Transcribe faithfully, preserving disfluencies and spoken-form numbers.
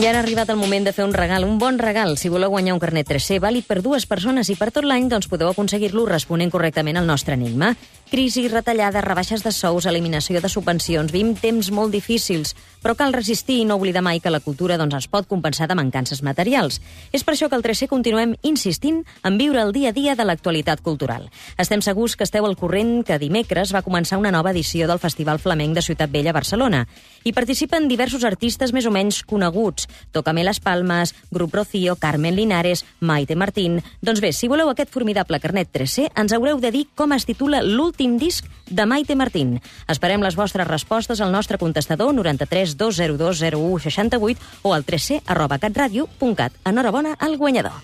Ja ha arribat el moment de fer un regal, un bon regal. Si voleu guanyar un carnet tres C vàlid per dues persones i per tot l'any, doncs podeu aconseguir-lo responent correctament al nostre enigma. Crisi, retallades, rebaixes de sous, eliminació de subvencions, vivim temps molt difícils, però cal resistir i no oblidar mai que la cultura doncs, es pot compensar de mancances materials. És per això que al tres C continuem insistint en viure el dia a dia de l'actualitat cultural. Estem segurs que esteu al corrent que dimecres va començar una nova edició del Festival Flamenc de Ciutat Vella a Barcelona. Hi participen diversos artistes més o menys coneguts. Tócame las Palmas, Grup Rocío, Carmen Linares, Maite Martín... Doncs bé, si voleu aquest formidable carnet tres C, ens haureu de dir com es titula l'últim disc de Maite Martín. Esperem les vostres respostes al nostre contestador noranta-tres dos zero dos zero u seixanta-vuit o al tres c arroba catradio punt cat. Enhorabona al guanyador.